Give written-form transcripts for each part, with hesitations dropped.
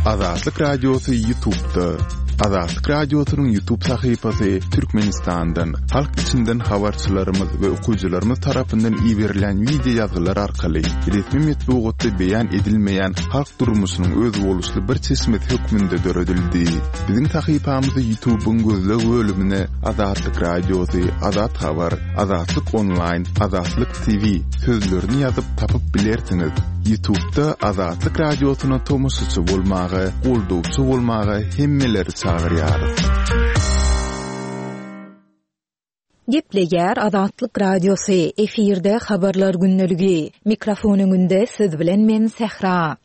Azatlyk Radiosy Ýutubda. Azatlyk Radiosynyň Ýutub sahypasy Türkmenistandan, halk içinden habarçylarymyz we okyjylarymyz tarapyndan iberilýän wideo ýazgylar arkaly resmi metbugatda beýan edilmeýän halk durmuşynyň özboluşly bir çeşmesi hökmünde döredildi. Biziň sahypamyzy Ýutubyň gözleg bölümine Azatlyk Radiosy, Azat Habar, Azatlyk Onlaýn, Azatlyk TV sözlerini ýazyp tapyp bilersiňiz. Ýutubda Azatlyk Radiosyna tomaşaçy bolmaga, goldawçy bolmaga hemmeleri çagyrýarys. Gepleýär Azatlyk Radiosy, efirde Habarlar gündeligi. Mikrofon öňünde siz bilen men Sähra.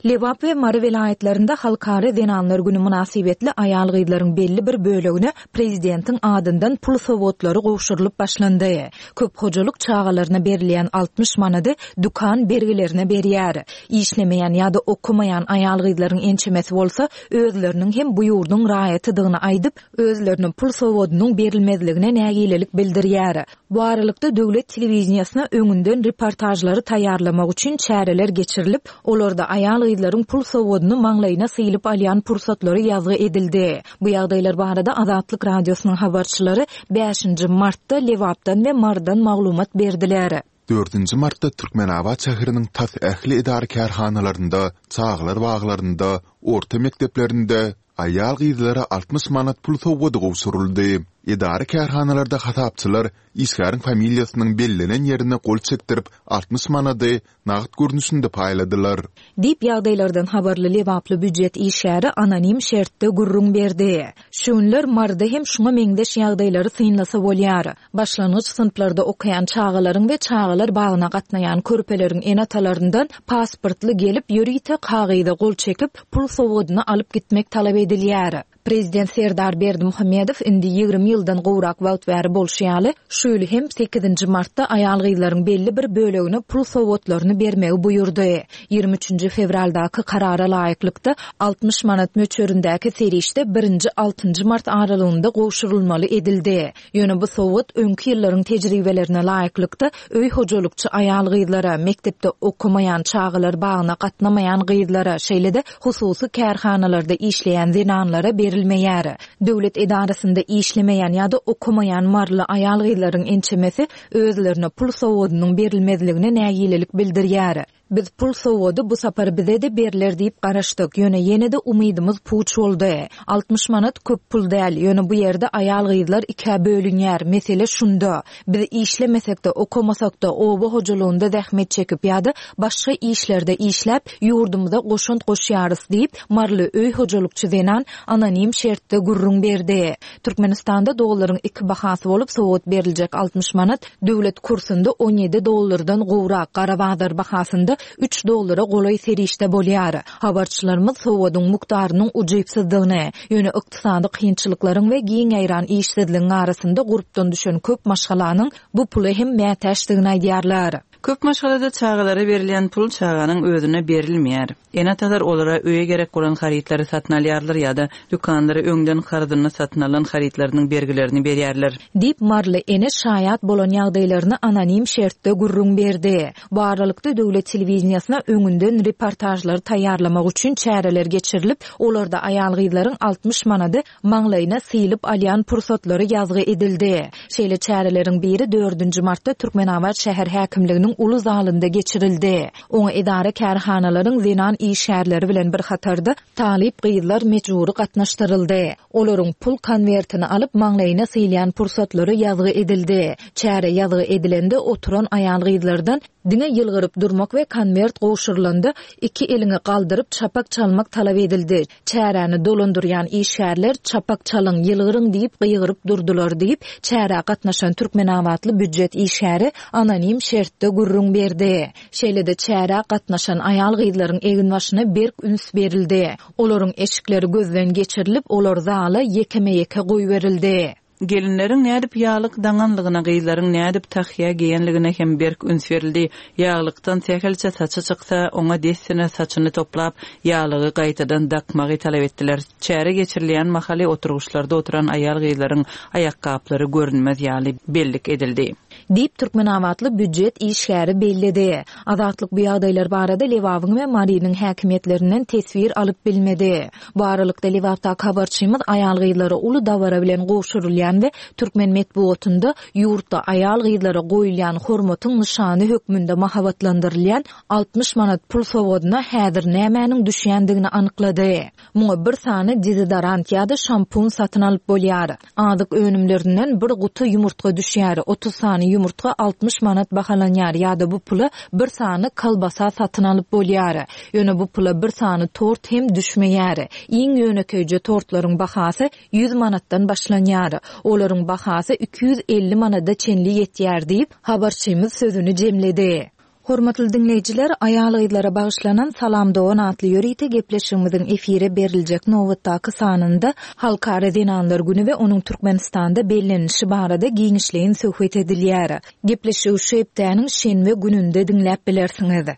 Lebap we Mary welaýatlarynda Halkara zenanlar güni mynasybetli aýal-gyzlaryň belli bir bölegine prezidentiň adyndan pul sowgatlary gowşurylyp başlandy. Köp hojalyk çagalaryna berilýän 60 manady dükan bergilerine berýär. Işlemeýän ýa-da okamaýan aýal-gyzlaryň ençemesi bolsa özleriniň hem bu ýurduň raýatydygyny aýdyp, özlerine pul sowgadynyň berilmezligine nägilelik bildirýär. Bu aralykda, döwlet telewideniýesine öňünden reportažlary taýýarlamak üçin çäreler geçirilip, olarda aýal-gyzlaryň pul sowgadyny maňlaýyna sylyp alýan pursatlary ýazgy edildi. Bu ýagdaýlar barada Azatlyk Radiosynyň habarçylary bäşinji martda Lebapdan we Marydan maglumat berdiler. Dördünji martda Türkmenabat şäheriniň tas ähli edara-kärhanalarynda, çagalar baglarynda, orta mekdeplerinde aýal-gyzlara 60 manat pul sowgady gowşuryldy. Edara-kärhanalarda hasapçylar işgäriň familiýasynyň bellenen ýerine gol çekdirip, 60 manady nagt görnüşinde paýladylar. Diýip, ýagdaýlardan habarly lebaply býujet işgäri anonim şertde gürrüň berdi. Şu günler Maryda hem şuňa meňzeş ýagdaýlary synlasa bolýar. Başlangyç synplarda okaýan çagalaryň we çagalar bagyna gatnaýan körpeleriň ene-atalaryndan pasportly gelip, ýörite kagyza gol çekip, pul sowgadyny alyp gitmek talap edilýär. Prezident Serdar Berdimuhamedow indi 20 ýyldan gowrak wagt bäri bolşy ýaly, şu ýyl hem sekizinji martda aýal-gyzlaryň belli bir bölegine pul sowgatlaryny bermegi buýurdy. Ýigrimi üçünji fewraldaky karara laýyklykda, 60 manat möçberindäki serişde birinji, altynjy mart aralygynda gowşurylmaly edildi. Ýöne bu sowgat öňki ýyllaryň tejribelerine laýyklykda, öý hojalykçy aýal-gyzlara, mekdepde okamaýan, çagalar bagyna gatnamaýan gyzlara, şeýle-de hususy kärhanalarda işleýän zenanlara berilmeýär. Döwlet edarasynda işlemeýän ýa-da okamaýan maryly aýal-gyzlaryň ençemesi özlerine pul sowgadynyň berilmezligine nägilelik bildirýär. Biz pul sowgady bu sapar bize-de berler diýip garaşdyk, ýöne ýene-de umydymyz puç boldy. 60 manat köp pul däl, ýöne bu ýerde aýal-gyzlar ikä bölünýär, mesele şunda. Biz işlemesek-de, okamasak-da, oba hojalygynda zähmet çekip ýa-da başga işlerde işläp, ýurdumyza goşant goşýarys diýip, maryly öý hojalykçy zenan anonim şertde gürrüň berdi. Türkmenistanda dollaryň iki bahasy bolup, sowgat beriljek 60 manat döwlet kursunda 17 dollardan gowrak, gara bazar bahasynda üç dollara golaý serişde bolýar. Habarçylarymyz sowgadyň mukdarynyň ujypsyzdygyny, ýöne ykdysady kynçylyklaryň we giň ýaýran işsizligiň arasynda gurpdan düşen köp maşgalanyň bu pula hem mätäçdigini aýdýarlar. Köp maşgalada çagalara berilýän pul çaganyň özüne berilmeýär. Ene-atalar olara öýe gerek bolan harytlary satyn alýarlar ýa-da dükanlara öňden karzyna satyn alan harytlarynyň bergilerini berýärler. Diýip, maryly ene şaýat bolan ýagdaýlaryny anonim şertde gürrüň berdi. Bu aralykda, döwlet telewideniýesine öňünden reportažlary taýýarlamak üçin çäreler geçirilip, olarda aýal-gyzlaryň 60 manady maňlaýyna sylyp alýan pursatlary ýazgy edildi. Şeýle çäreleriň biri dördünji martda Türkmenabat şäher häkimliginiň uly zalynda geçirildi. Oňa edara-kärhanalaryň zenan işgärleri bilen bir hatarda talyp gyzlar mejbury gatnaşdyryldy. Olaryň pul konwertini alyp maňlaýyna sylýan pursatlary ýazgy edildi. Çäre ýazgy edilende oturan aýal-gyzlardan Diňe ýylgyryp durmak we konwert gowşurylanda iki eliňi galdyryp çapak çalmak talap edildi. Çäräni dolandyrýan işgärler çapak çalyň, ýylgyryň diýip gygyryp durdular diýip, çärä gatnaşan türkmenabatly býujet işgäri anonim şertde gürrüň berdi. Şeýle-de çärä gatnaşan aýal-gyzlaryň eginbaşyna berk üns berildi. Olaryň eşikleri gözden geçirilip, olar zala ýekeme-ýeke goýberildi. Gelinleriň nädip ýaglyk daňanlygyna, gyzlaryň nädip tahýa geýenligine hem berk üns berildi. Ýaglykdan sähelçe saçy çyksa, oňa dessine saçyny toplap, ýaglygy gaýtadan dakmagy talap etdiler. Çäre geçirilýän mahaly oturgyçlarda oturan aýal-gyzlaryň aýakgaplary görünmez ýaly bellik edildi. Diýip, türkmenabatly býujet işgäri belledi. Azatlyk bu ýagdaýlar barada Lebabyň we Marynyň häkimiýetlerinden teswir alyp bilmedi. Bu aralykda, Lebapdaky habarçymyz aýal-gyzlara uly dabara bilen gowşurylýan we türkmen metbugatynda ýurtda aýal-gyzlara goýulýan hormatyň nyşany hökmünde mahabatlandyrylýan 60 manat pul sowgadyna häzir nämäniň düşýändigini anyklady. Muňa bir sany dezodorant ýa-da şampun satyn alyp bolýar. Azyk önümlerinden bir guty ýumurtga düşýär, 30 sany ýumurtga 60 manat bahalanýar ýa-da bu pula bir sany kolbasa satyn alyp bolýar. Ýöne bu pula bir sany tort hem düşmeýär. Iň ýönekeýje tortlaryň bahasy 100 manatdan başlanýar. Olaryň bahasy 250 manada çenli ýetýär diýip, habarçymyz sözüni jemledi. Hormatly diňleýjiler, aýal-gyzlara bagyşlanan Salam dogan atly ýörite gepleşigimiziň efire beriljek nobatdaky sanynda Halkara zenanlar güni we onuň Türkmenistanda bellenilişi barada giňişleýin söhbet edilýär. Gepleşigi şu hepdäniň şenbe gününde diňläp bilersiňiz.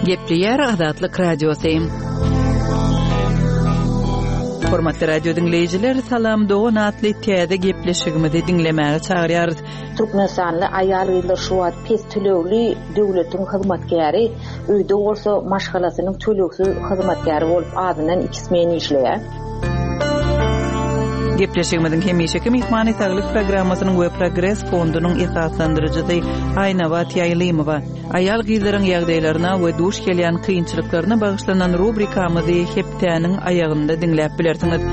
Gepleýär Azatlyk Radiosy. Hormatly radio diňleýjiler, Salam dogan atly täze gepleşigimizi diňlemäge çagyrýarys. Türkmenistanly aýal-gyzlar şu wagt pes tölegli döwletiň hyzmatkäri, öýde bolsa maşgalasynyň tölegsiz hyzmatkäri bolup azyndan iki smen işleýär. Gepleşigimiziň hemişeki myhmany Saglyk programmasynyň we Progres fondunyň esaslandyryjysy Aýnabat Ýaýlymowa. Aýal-gyzlaryň ýagdaýlaryna we duş gelýän kynçylyklaryna bagyşlanan rubrikamyzy hepdäniň aýagynda diňläp bilersiňiz.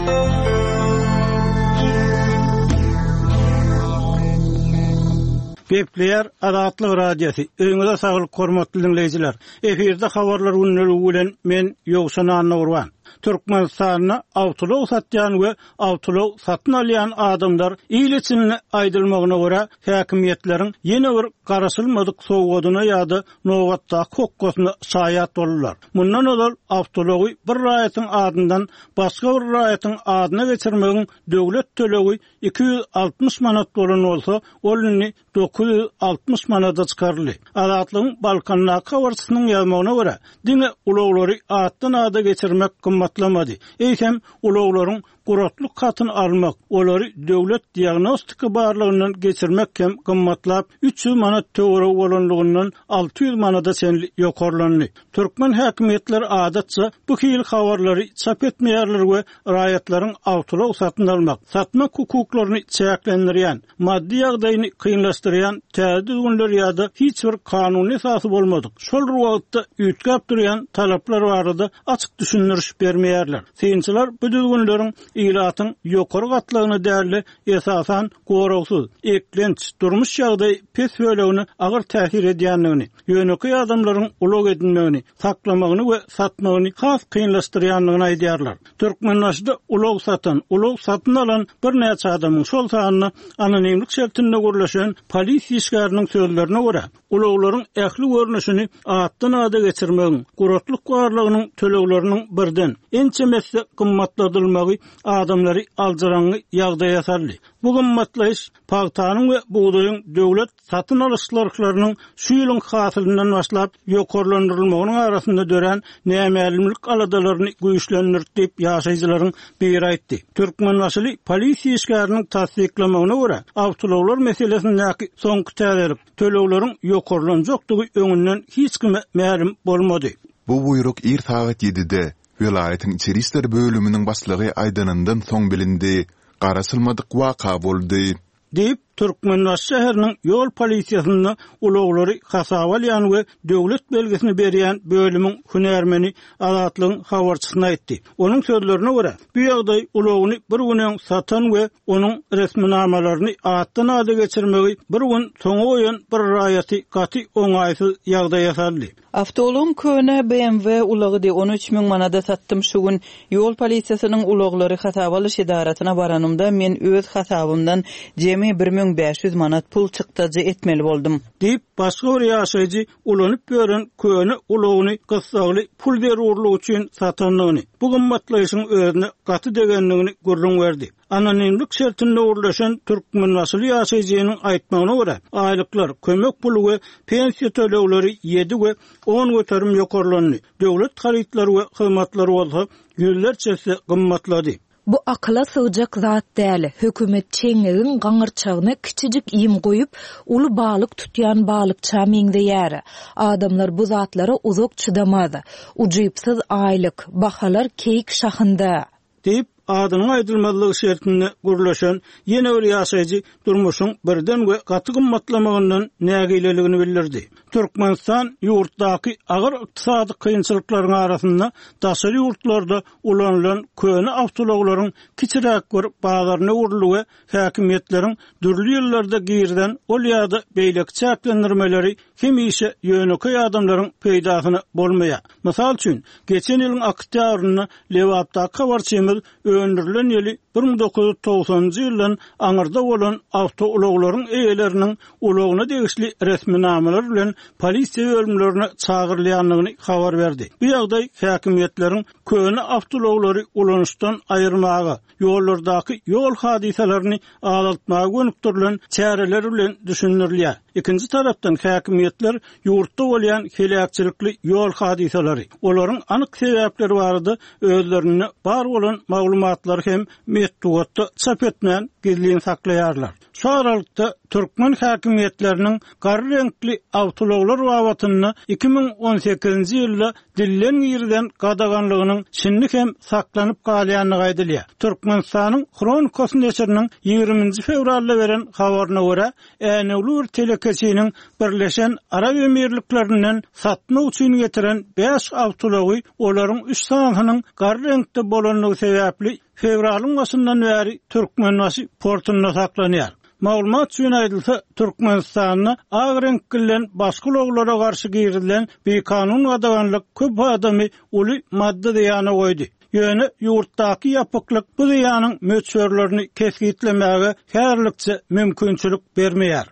Gepleýär Azatlyk Radiosy, Öýüňize saglyk hormatly diňleýjiler! Efirde habarlar gündeligi bilen men Ýowşan Annagurban. Türkmenistanda awtoulag satýan we awtoulag satyn alýan adamlar il içinde aýdylmagyna görä, häkimiýetleriň ýene bir garaşylmadyk sowgadyna ýa-da nobatdaky hokgasyna şaýat boldular. Mundan ozal awtoulagy bir raýatyň adyndan başga bir raýatyň adyna geçirmegiň döwlet tölegi 260 manat bolan bolsa, ol indi 960 manada çykaryldy. Azatlygyň Balkandaky habarçysynyň ýazmagyna görä, diňe ulaglary atdan-ada geçirmek gymmatlamady, eýsem, ulaglaryň guratlyk hatyny almak, olary döwlet diagnostika barlagyndan geçirmek hem gymmatlap, 300 manat töweregi bolanlygyndan 600 manada çenli ýokarlandy. Türkmen häkimiýetleri adatça bu hili habarlary çap etmeýärler we raýatlaryň awtoulag satyn almak, satmak hukuklaryny çäklendirýän, maddy ýagdaýyny kynlaşdyrýan täze düzgünler ýa-da hiç bir kanuny esasy bolmadyk, şol bir wagtda üýtgäp durýan talaplar barada açyk düşündiriş bermeýärler. Synçylar bu düzgünleriň ilatyň ýokary gatlagyna däl-de, esasan, goragsyz, eklenç, durmuş ýagdaýy pes bölegine agyr täsir edýändigini, ýönekeý adamlaryň ulag edinmegini, saklamagyny we satmagyny has kynlaşdyrýandygyny aýdýarlar. Türkmenbaşyda ulag satan, ulag satyn alan birnäçe adamyň, şol sanda anonimlik şertinde gürleşen polisiýa işgäriniň sözlerine görä, ulaglaryň ähli görnüşini atdan-ada geçirmegiň, guratlyk barlagynyň tölegleriniň birden, ençeme esse gymmatladylmagy adamlary aljyraňňy ýagdaýa saldy. Bu gymmatlaýyş pagtanyň we bugdaýyň döwlet satyn alyş nyrhlarynyň şu ýylyň hasylyndan başlap ýokarlandyrylmagynyň arasynda dörän nämälimlik aladalaryny güýçlendirdi diýip, ýaşaýjylaryň biri aýtdy. Türkmenbaşyly polisiýa işgäriniň tassyklamagyna görä, awtoulaglar meselesindäki soňky täzelik, tölegleriň ýokarlanjakdygy öňünden hiç kime mälim bolmady. Bu buýruk ir sagat ýedide, welaýatyň içeri işler bölüminiň başlygy aýdanyndan soň bilindi. Garaşylmadyk waka boldy. Diýip, Türkmenbaşy şäheriniň ýol polisiýasynda ulaglary hasaba alýan we döwlet belgisini berýän bölümiň hünärmeni Azatlygyň habarçysyna aýtdy. Onuň sözlerine görä, bu ýagdaý ulagyny bir gün öň satan we onuň resminamalaryny atdan-ada geçirmegi bir gün soňa goýan bir raýaty gaty oňaýsyz ýagdaýa saldy. Awtoulagyň köne BMW ulagydy, ony 3000 manada satdym şu gün. Ýol polisiýasynyň ulaglary hasaba alyş edarasyna baranymda, men öz hasabymdan jemi. 3500 manat pul çykdajy etmeli boldum. Diýip, başga bir ýaşaýjy ulanyp ýören köne ulagyny gyssagly pul zerurlygy üçin satandygyny, bu gymmatlaýşyň özüne gaty degendigini gürrüň berdi. Anonimlik şertinde gürleşen türkmenbaşyly ýaşaýjynyň aýtmagyna görä, aýlyklar, kömek puly we pensiýa tölegleri ýedi we 10% ýokarlandy, döwlet harytlary we hyzmatlary bolsa ýüzlerçe esse gymmatlady. Bu akyla sygjak zat däl. Hökümet çeňňegiň gaňyrçagyna kiçijik iým goýup, uly balyk tutýan balykça meňzeýär. Adamlar bu zatlara uzak çydamaz. Ujypsyz aýlyk, bahalar keýik şahynda. Diýip, adynyň aýdylmazlygy şertinde gürleşen ýene bir ýaşaýjy durmuşyň birden we gaty gymmatlamagyndan nägileligini bildirdi. Türkmenistan ýurtdaky agyr ykdysady kynçylyklaryň arasynda daşary ýurtlarda ulanylan köne awtoulaglaryň kiçiräk bir bazaryna öwrüldi we häkimiýetleriň dürli ýyllarda girizen ol ýa-da beýleki çäklendirmeleri hemişe ýönekeý adamlaryň peýdasyna bolmaýar. Mysal üçin, geçen ýylyň oktýabrynda Lebapdaky habarçymyz öndürilen ýyly 1990-njy ýyldan aňyrda bolan awtoulaglaryň eýeleriniň ulagyna degişli resminamalar bilen polisiýa bölümlerine çagyrylýandygyny habar berdi. Bu ýagdaý häkimiýetleriň köne awtoulaglary ulanyşdan aýyrmaga, ýollardaky ýol hadysalaryny azaltmaga gönükdirilen çäreler bilen düşündirilýär. Ikinji tarapdan, häkimiýetler ýurtda bolýan heläkçilikli ýol hadysalary, olaryň anyk sebäpleri barada özlerinde bar bolan maglumatlary hem metbugatda çap etmän gizlin saklaýarlar. Şu aralykda, türkmen häkimiýetleriniň gara reňkli awtoulaglar babatynda 2018-nji ýylda dilden girizen gadaganlygynyň şindi hem saklanyp galýandygy aýdylýar. Türkmenistanyň Hronikasy neşiriniň ýigriminji fewralda beren habaryna görä, änewli bir telekeçiniň Birleşen Arap Emirliklerinden satmak üçin getiren bäş awtoulagy olaryň üç sanysynyň gara reňkde bolandygy sebäpli fewralyň başyndan bäri Türkmenbaşy portunda saklanýar. Maglumat üçin aýdylsa, Türkmenistanda ak reňk bilen başga ulaglara garşy girizilen bikanun gadaganlyk köp adamy uly maddy zyýana goýdy. Ýöne ýurtdaky ýapyklyk bu zyýanyň möçberlerini kesgitlemäge häzirlikçe mümkinçilik bermeýär.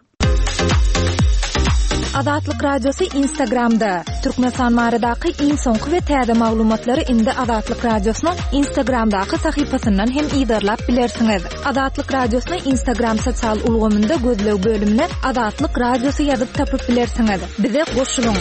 Azatlyk Radiosy Instagramda, Türkmenistan baradaky iň soňky we täze maglumatlary indi Azatlyk Radiosynyň Instagramdaky sahypasyndan hem yzarlap bilersiňiz. Azatlyk Radiosyny Instagram sosial ulgamynda gözleg bölümine Azatlyk Radiosy ýazyp tapyp bilersiňiz. Bize goşulyň!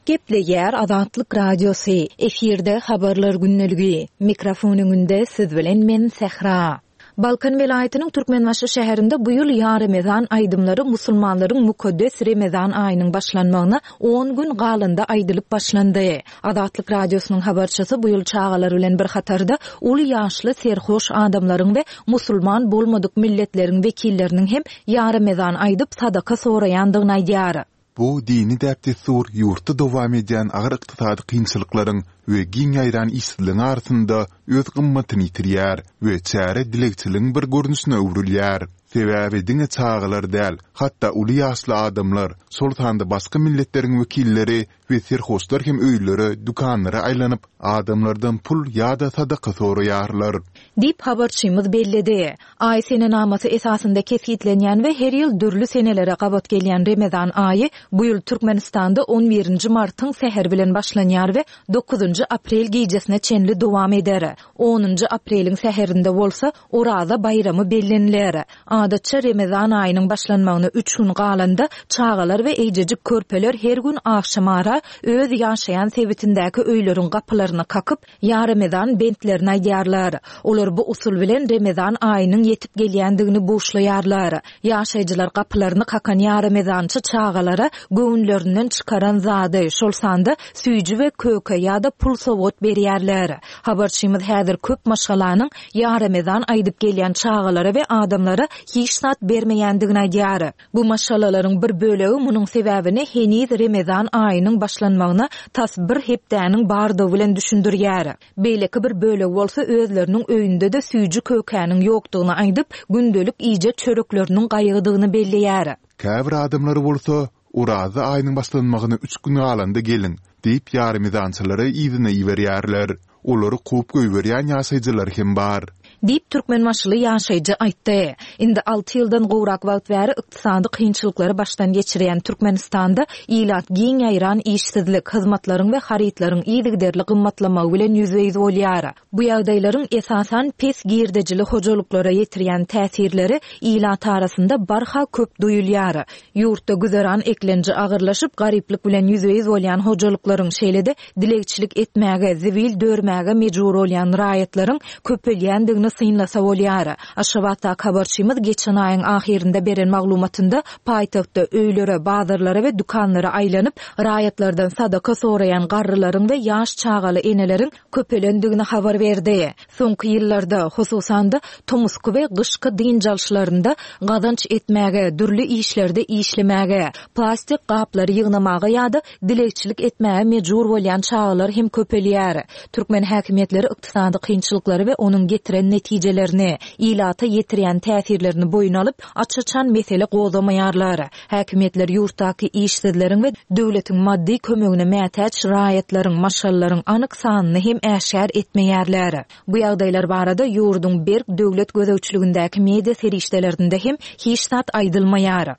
Gepleýär Azatlyk Radiosy, efirde Habarlar gündeligi. Mikrofon öňünde siz bilen men Sähra. Balkan welaýatynyň Türkmenbaşy şäherinde bu ýyl Ýa Remezan aýdymlary musulmanlaryň mukaddes Remezan aýynyň başlanmagyna on gün galanda aýdylyp başlandy. Azatlyk Radiosynyň habarçysy bu ýyl çagalar bilen bir hatarda uly ýaşly serhoş adamlaryň we musulman bolmadyk milletleriň wekilleriniň hem Ýa Remezan aýdyp sadaka soraýandygyny aýdýar. Bu dini däp-dessur ýurtda dowam edýän agyr ykdysady kynçylyklaryň we giň ýaýran işsizligiň arasynda öz gymmatyny ýitirýär we çäre dilegçiligiň bir görnüşine öwrülýär. Sebäbi diňe çagalar däl, hatda uly ýaşly adamlar, şol sanda başga milletleriň wekilleri we serhoşlar hem öýlere, dükanlara aýlanyp, adamlardan pul ýa-da sadaka soraýarlar. Diýip, habarçymyz belledi. Aý senenamasy esasynda kesgitlenýän we her ýyl dürli senelere gabat gelýän Remezan aýy bu ýyl Türkmenistanda on birinji martyň säheri bilen başlanýar we dokuzynjy aprel gijesine çenli dowam eder. Onunjy apreliň säherinde bolsa Oraza baýramy belleniler. Adatça Remezan aýynyň başlanmagyna üç gün galanda çagalar we eýjejik körpeler her gün agşamara öz ýaşaýan sebitindäki öýleriň gapylaryny kakyp, Ýa Remezan bentlerini aýdýarlar. Olar bu usul bilen Remezan aýynyň ýetip gelýändigini buşlaýarlar. Ýaşaýjylar gapylaryny kakan ýa Remezançy çagalara göwünlerinden çykaran zady, şol sanda süýji we köke ýa-da pul sowgat berýärler. Habarçymyz häzir köp maşgalanyň Ýa Remezan aýdyp gelýän çagalara we adamlara hiç zat bermeýändigini aýdýar. Bu maşgalalaryň bir bölegi munuň sebäbini heniz Remezan aýynyň başlanmagyna tas bir hepdäniň bardygy bilen düşündirýär. Beýleki bir bölegi bolsa özleriniň öýünde-de süýji-kökäniň ýokdugyny aýdyp, gündelik iýjek çörekleriniň gaýgydygyny belleýär. Käbir adamlar bolsa, Oraza aýynyň başlanmagyna üç gün galanda geliň, diýip ýaremezançylary yzyna iberýärler. Olary kowup goýberýän ýaşaýjylar hem bar. Diýip, türkmenbaşyly ýaşaýjy aýtdy. Indi alty ýyldan gowrak wagt bäri ykdysady kynçylyklary başdan geçirýän Türkmenistanda ilat giň ýaýran işsizlik, hyzmatlaryň we harytlaryň yzygiderli gymmatlamagy bilen ýüzbe-ýüz bolýar. Bu ýagdaýlaryň esasan pes girdejili hojalyklara ýetirýän täsirleri ilat arasynda barha köp duýulýar. Ýurtda güzeran eklenji agyrlaşyp, garyplyk bilen ýüzbe-ýüz bolýan hojalyklaryň, şeýle-de dilegçilik etmäge, zibil dörmäge mejbur bolýan raýatlaryň köpelýändigini synlasa bolýar. Aşgabatdaky habarçymyz geçen aýyň ahyrynda beren maglumatynda paýtagtda öýlere, bazarlara we dükanlara aýlanyp, raýatlardan sadaka soraýan garrylaryň we ýaş çagaly eneleriň köpelendigini habar berdi. Soňky ýyllarda, hususan-da, tomusky we gyşky dynç alyşlarynda gazanç etmäge, dürli işlerde işlemäge, plastik gaplary ýygnamaga ýa-da dilegçilik etmäge mejbur bolýan çagalar hem köpelýär. Türkmen häkimiýetleri ykdysady kynçylyklary we onuň getiren netijelerini, ilata ýetirýän täsirlerini boýun alyp, aç-açan mesele gozgamaýarlar. Häkimiýetler ýurtdaky işsizleriň we döwletiň maddy kömegine mätäç raýatlaryň, maşgalalaryň anyk sanyny hem äşgär etmeýärler. Bu ýagdaýlar barada ýurduň berk döwlet gözegçiligindäki media serişdelerinde hem hiç zat aýdylmaýar.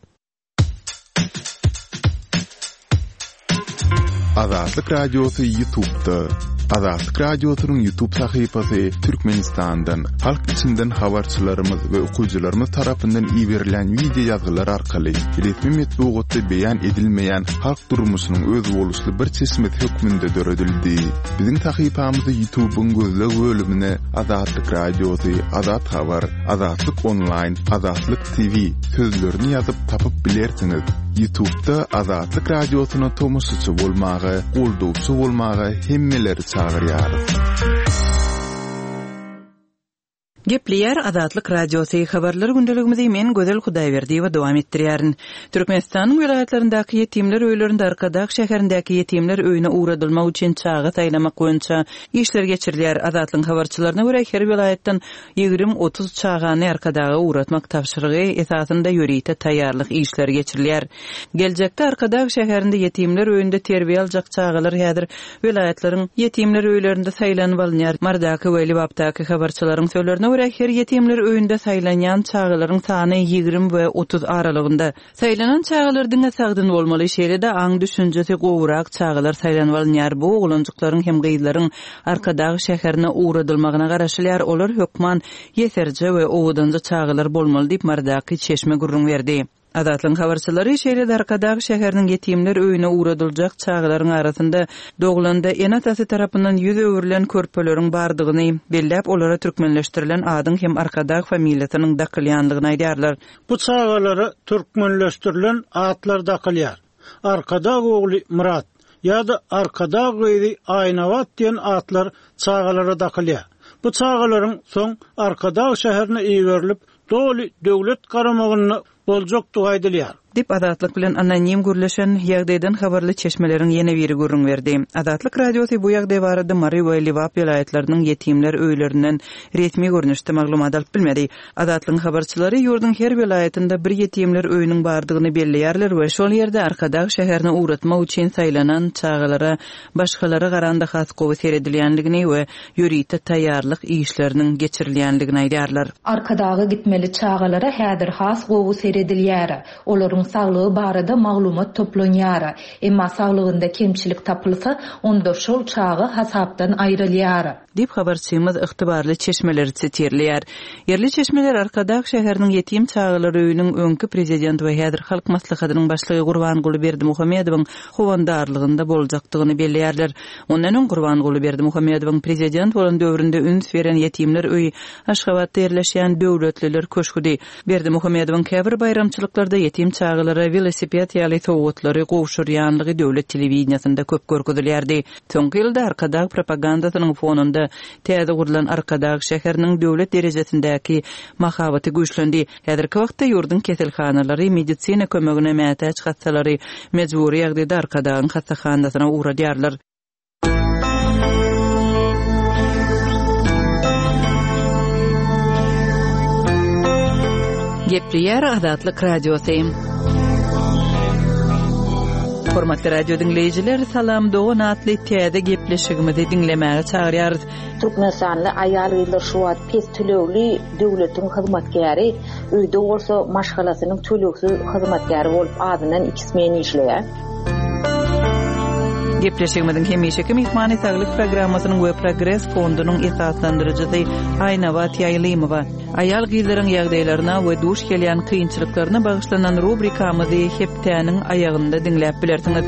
Azatlyk Radiosy Ýutubda. Azatlyk Radiosynyň Ýutub sahypasy Türkmenistandan, halk içinden habarçylarymyz we okyjylarymyz tarapyndan iberilen wideo ýazgylar arkaly resmi metbugatda beýan edilmeýän halk durmuşynyň özboluşly bir çeşmesi hökmünde döredildi. Biziň sahypamyzy Ýutubyň gözleg bölümine Azatlyk Radiosy, Azat Habar, Azatlyk Onlaýn, Azatlyk TV sözlerini ýazyp tapyp bilersiňiz. Ýutubda Azatlyk Radiosyna tomaşaçy bolmaga, goldawçy bolmaga hemmeleri çagyrýarys. Gepleýär Azatlyk Radiosy, Habarlar gündeligimizi men Gözel Hudaýberdiýewa dowam etdirýärin. Türkmenistanyň welaýatlaryndaky ýetimler öýlerinde Arkadag şäherindäki ýetimler öýüne ugradylmak üçin çaga saýlamak boýunça işler geçirilýär. Azatlygyň habarçylaryna görä, her welaýatdan 20-30 çagany Arkadaga ugratmak tabşyrygy esasynda ýörite taýýarlyk işleri geçirilýär. Geljekde Arkadag şäherinde ýetimler öýünde terbiýe aljak çagalar häzir welaýatlaryň ýetimler öýlerinde saýlanyp alynýar. Marydaky we Lebapdaky habarçylaryň sözlerine görä, her ýetimler öýünde saýlanýan çagalaryň sany 20 we 30 aralygynda. Saýlanan çagalar diňe sagdyn bolmaly, şeýle-de aň-düşünjesi gowurak çagalar saýlanyp alynýar. Bu oglanjyklaryň hem gyzlaryň Arkadag şäherine ugradylmagyna garaşylýar, olar hökman ýeserje we owadanja çagalar bolmaly diýip, Marydaky çeşme gürrüň berdi. Azatlygyň habarçylary şeýle-de Arkadag şäheriniň ýetimler öýüne ugradyljak çagalaryň arasynda doglanda ene-atasy tarapyndan ýüz öwrülen körpeleriň bardygyny belläp, olara türkmenleşdirilen adyň hem Arkadag familiýasynyň dakylýandygyny aýdýarlar. Bu çagalara türkmenleşdirilen atlar dakylýar. Arkadag ogly Myrat ýa-da Arkadag gyzy Aýnabat diýen atlar çagalara dakylýar. Bu çagalaryň soň Arkadag şäherine iberilip, doly döwlet garamagynda boljakdygy aýdylýar. Diýip, Azatlyk bilen anonim gürleşen, ýagdaýdan habarly çeşmeleriň ýene biri gürrüň berdi. Azatlyk Radiosy bu ýagdaý barada Mary we Lebap welaýatlarynyň ýetimler öýlerinden resmi görnüşde maglumat alyp bilmedi. Azatlygyň habarçylary ýurduň her welaýatynda bir ýetimler öýüniň bardygyny belleýärler we şol ýerde Arkadag şäherine ugratmak üçin saýlanan çagalara başgalara garanda has gowy seredilýändigini we ýörite taýýarlyk işleriniň geçirilýändigini aýdýarlar. Arkadaga gitmeli çagalara häzir has gowy seredilýär. Olaryň saglygy barada maglumat toplanýar. Emma saglygynda kemçilik tapylsa, onda şol çaga hasapdan aýrylýar. Diýip, habarçymyz ygtybarly çeşmeleri sitirleýär. Ýerli çeşmeler Arkadag şäheriniň ýetim çagalar öýüniň öňki prezident we häzir Halk Maslahatynyň başlygy Gurbanguly Berdimuhamedowyň howandarlygynda boljakdygyny belleýärler. Mundan öň Gurbanguly Berdimuhamedowyň prezident bolan döwründe üns beren ýetimler öýi Aşgabatda ýerleşýän Döwletliler köşgüdi. Berdimuhamedowyň käbir baýramçylyklarda ýetim çagalara welosiped ýaly sowgatlary gowşurýanlygy döwlet telewideniýesinde köp görkezilýärdi. Soňky ýylda Arkadag propagandasynyň fonunda täze gurlan Arkadag şäheriniň döwlet derejesindäki mahabaty güýçlendi. Häzirki wagtda ýurduň keselhanalary medisina kömegine mätäç hassalary mejbury ýagdaýda Arkadagyň hassahanasyna ugradýarlar. Gepleýär Azatlyk Radiosy. Hormatly radio diňleýjiler, Salam dogan atly täze gepleşigimizi diňlemäge çagyrýarys. Türkmenistanly aýal-gyzlar şu wagt pes tölegli döwletiň hyzmatkäri, öýde bolsa maşgalasynyň tölegsiz hyzmatkäri bolup azyndan iki smen işleýär. Gepleşigimiziň hemişeki myhmany Saglyk programmasynyň we Progres fondunyň esaslandyryjysy Aýnabat Ýaýlymowa. Aýal-gyzlaryň ýagdaýlaryna we duş gelýän kynçylyklaryna bagyşlanan rubrikamyzy hepdäniň aýagynda diňläp bilersiňiz.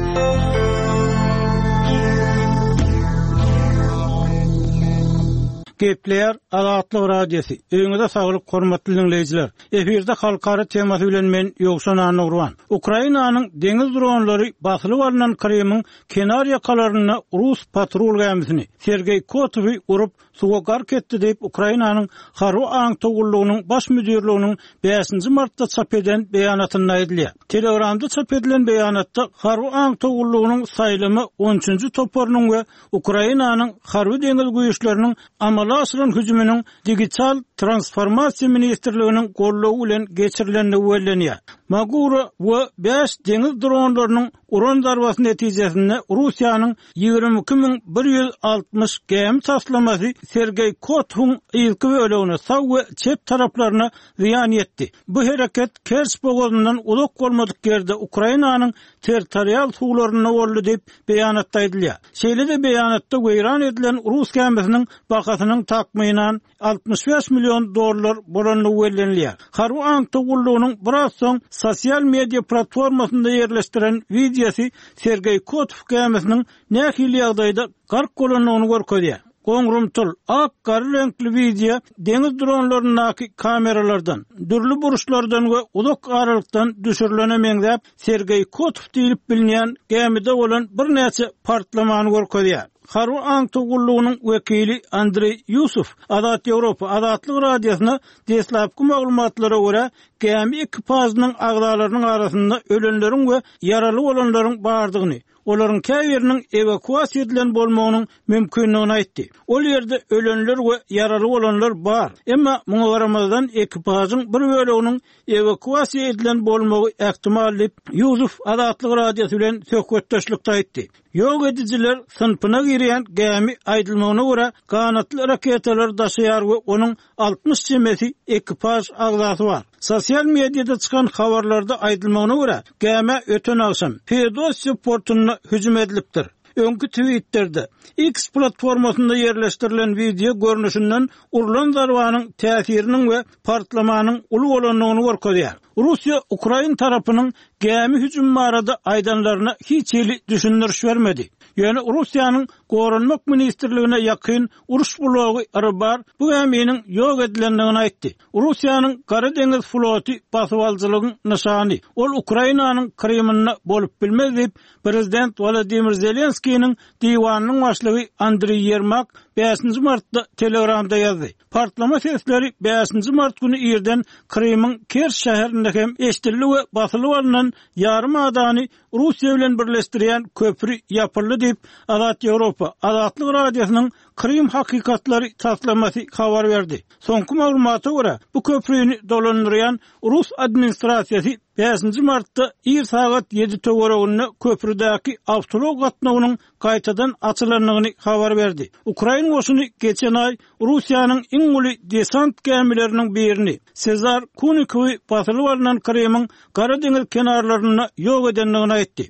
Gepleýär Azatlyk Radiosy. Öýüňize saglyk hormatly diňleýjiler. Efirde halkara temasy bilen men Ýowşan Annagurban. Ukrainanyň deňiz dronlary basylyp alnan Krymyň kenar ýakalarynda rus patrul gämisini, Sergeý Kotowy urup, suwa gark etdi diýip, Ukrainanyň Harby aňtaw gullugynyň Baş müdirliginiň bäşinji martda çap eden beýanatynda aýdylýar. Telegramda çap edilen beýanatda Harby aňtaw gullugynyň saýlama on üçünji toparynyň we Ukrainanyň Harby-deňiz güýçleriniň amala aşyran hüjüminiň Digital transformasiýa ministrliginiň goldawy bilen geçirilendigi bellenýär. Magura we bäş deňiz dronlarynyň uran zarbasy netijesinde Russiýanyň 22160 gämi taslamasy Sergeý Kotowyň yzky bölegine, sag we çep taraplaryna zyýan ýetdi. Bu hereket Kerç bogazyndan uzak bolmadyk ýerde Ukrainanyň territorial suwlarynda boldy diýip, beýanatda aýdylýar. Şeýle-de beýanatda weýran edilen rus gämisiniň bahasynyň takmynan 65 million dollar bolandygy bellenilýär. Harby aňtaw gullugynyň biraz soň sosial media platformasynda ýerleşdiren wideosy Sergeý Kotow gämisiniň nähili ýagdaýda gark bolandygyny görkezýär. Goňrumtyl, ak-gara reňkli wideo deňiz dronlaryndaky kameralardan, dürli burçlardan we uzak aralykdan düşürilene meňzäp, Sergeý Kotow diýlip bilinýän gämide bolan birnäçe partlamany görkezýär. Harby aňtaw gullugynyň wekili Andreý Ýusow Azat Ýewropa Azatlyk Radiosyna deslapky maglumatlara görä, gämi ekipažynyň agzalarynyň arasynda ölenleriň we ýaraly bolanlaryň bardygyny, olaryň käbiriniň ewakuasiýa edilen bolmagynyň mümkindigini aýtdy. Ol ýerde ölenler we ýaraly bolanlar bar. Emma muňa garamazdan, ekipažyň bir böleginiň ewakuasiýa edilen bolmagy ähtimal diýip, Ýusow Azatlyk Radiosy bilen söhbetdeşlikde aýtdy. Ýok edijiler synpyna girýän gämi aýdylmagyna görä, ganatly raketalary daşaýar we onuň 60 çemesi ekipaž agzasy bar. Sosial mediada çykan habarlarda aýdylmagyna görä, gämä öten agşam Feodosiýa portunda hüjüm edilipdir. Öňki Twitterde, X platformasynda ýerleşdirilen wideo görnüşinden urlan zarbanyň täsiriniň we partlamanyň uly bolandygyny görkezýär. Russiýa ukrain tarapynyň gämi hüjümi barada aýdanlaryna hiç hili düşündiriş bermedi. Ýöne Russiýanyň Goranmak ministrligine ýakyn uruş blogy Rybar bu gäminiň ýok edilendigini aýtdy. Russiýanyň Gara deňiz floty basybalyjylygyň nyşany, ol Ukrainanyň Krymynda bolup bilmez diýip, prezident Wolodymyr Zelenskiniň diwanynyň başlygy Andriý Ýermak bäşinji martda Telegramda ýazdy. Partlama sesleri bäşinji mart güni irden Krymyň Kerç şäherinde hem eşidildi we basylyp alnan ýarym adany Russiýa bilen birleşdirýän köpri ýapyldy diýip, Azat Ýewropa Azatlyk Radiosynyň Krym hakykatlary taslamasy habar berdi. Soňky maglumata görä, bu köprini dolandyrýan rus administrasiýasy bäşinji martda ir sagat ýedi töwereginde köprüdäki awtoulag gatnawynyň gaýtadan açylandygyny habar berdi. Ukrain goşuny geçen aý Russiýanyň iň uly desant gämileriniň birini, Sezar Kunikowy basylyp alnan Krymyň Gara deňiz kenarlarynda ýok edendigini aýtdy.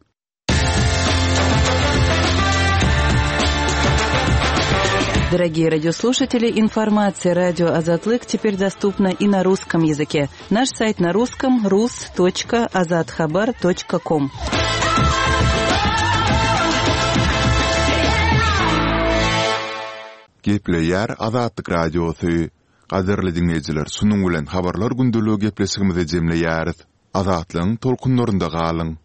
Дорогие радиослушатели, информация радио Азатлык теперь доступна и на русском языке. Наш сайт на русском rus.azathabar.com. Gepleýär Azatlyk Radiosy. Gadyrly diňleýjiler, şunuň bilen Habarlar gündeligi gepleşigimizi jemleýäris. Azatlygyň tolkunlarynda galyň!